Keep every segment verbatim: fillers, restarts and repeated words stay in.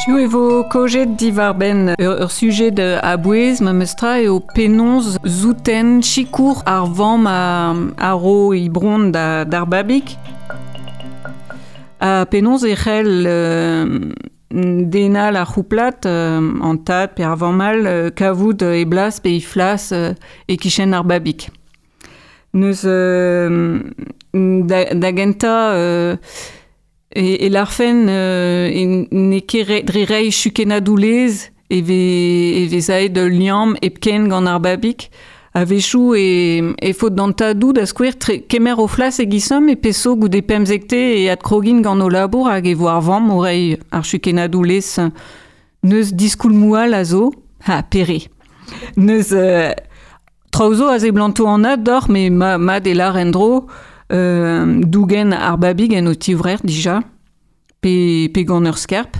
Hiziv e vo kaojet diwar-benn ur, ur sujet a bouez ma meustra eo penaos zouten sikour ar vamm a, a ro he bronn da, d'ar babig. Ha penaos e c'hell euh, denal ar c'houplad euh, an tad pe ar vamm all euh, kavout e blas pe e flas euh, e kichen ar babig. Neus euh, da, da gentañ euh, E, e larfen euh, e n'eo ket re, dre reiñ chukennadoù laezh e vez, e vez aet ul liamm hepken gant ar babig. A-wechoù e, e faot d'an tadoù da skouer tre, kemer o flas e gisom e peso goude pemzekte e adkrogin gant o labour hag e vo ar vamm o reiñ ar chukennadoù laezh. Neus diskoulmoù all a zo, ha pere. Neus euh, traoù zo a seblanto anat deoc'h, met ma, mat e lar en-dro, Euh, dougen ar babig en o tivrec'h dija, pe, pe gant ur skerp.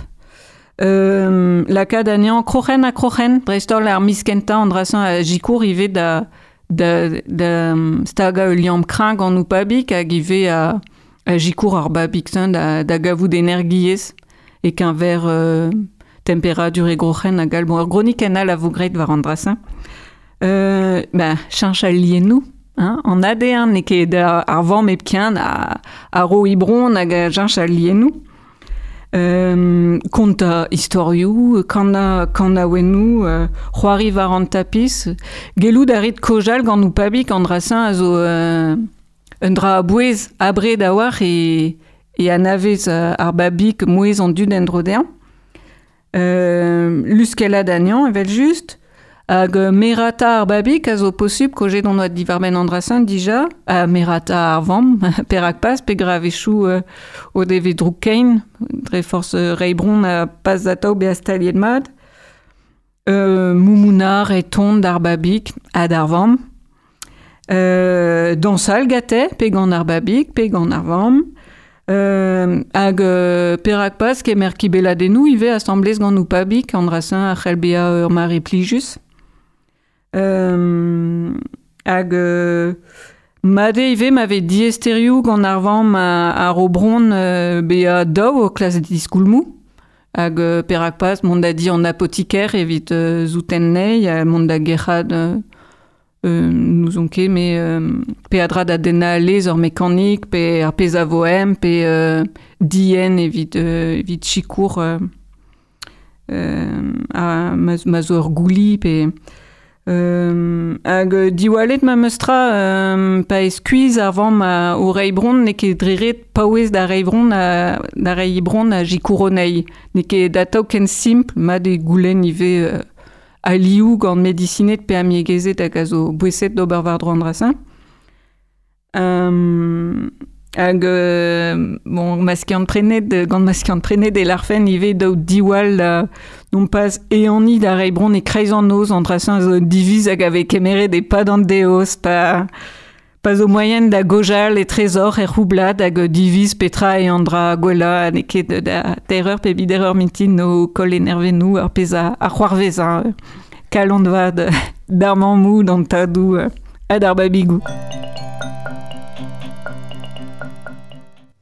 Euh, lakaat anezhañ kroc'hen ha kroc'hen, dreist-holl ar miz kentañ an dra-se a sikour ivez da, da, da stagañ ul liamm kreñv gant ho pabig hag ivez a, a sikour ar babig-se da, da gavout energiezh e-keñver euh, temperadur e groc'hen hag all. Bon, ur gronikenn all a vo graet war an dra-se. Euh, ben, cheñch al liennoù. Hein, an A D N n'eo ket ar vamm hepken a, a ro he bronn hag a cheñch al liennoù. Euh, kontañ istorioù, kanañ kanaouennoù, euh, c'hoari war an tapis. Gellout a rit kaozeal gant ho pabig an dra-se a zo euh, un dra a-bouez abred a-walc'h e, e anavez ar babig mouezh an dud en-dro dezhañ. Euh, luskellat anezhañ evel-just. Hag merata ar babig a zo posupl kaozeet hon doa diwar-benn an dra-se dija, ha merata ar vamm, perak pas, peogwir a-wechoù euh, o devez drouk-kein, dre forzh reiñ bronn ha pas atav bezañ staliet mat. Euh, moumounar e ton d'ar babig ha d'ar vamm. Euh, dañsal gante, pe gant ar babig, pe gant ar vamm. Euh, hag euh, perak pas kemer kibelladennoù ivez asambles gant ho pabig, an dra-se a c'hell bezañ ur mare plijus. Euh, hag euh, mat eo ivez ma vez diaesterioù gant ar vamm a, a ro bronn euh, bezañ daou o klask diskoulmoù. Hag euh, perak pas mont da di an apotiker evit euh, souten anezhi, ha mont da gerc'hat euh, euh, n'ouzon ket, met euh, peadra da dennañ laezh ur mekanik, pe ar pezh a vo ezhomm, pe euh, dienn evit, euh, evit sikour euh, euh, a, ma, ma zo ur gouli, pe... Euh, hag diwallet ma meustra euh, pa eo skuizh ar vamm a, o reiñ bronn n'eo ket dre ret paouez da reiñ bronn a, da reiñ bronn a sikour anezhi. N'eo ket atav ken simpl, mat eo goulenn ivez euh, alioù gant medisined pe amiegezed hag a zo boeset d'ober war-dro an dra-se. Euh, hag euh, bon, ma skiant-prenet, gant ma skiant-prenet e larfen ivez daou diwall da non pas ehaniñ da reiñ bronn e-kreiz an noz an dra-se a zo diviz hag a vez kemeret e-pad an deoz, pa, pa zo moaien da gaozeal etrezoc'h er c'houblad hag diviz petra eo an dra gwellañ, n'eo ket da teir eur pe beder eur mintin o koll e nervennoù ar pezh a, a c'hoarvez, hein. Kalon vat d'ar mammoù, d'an tadoù ha d'ar babigoù.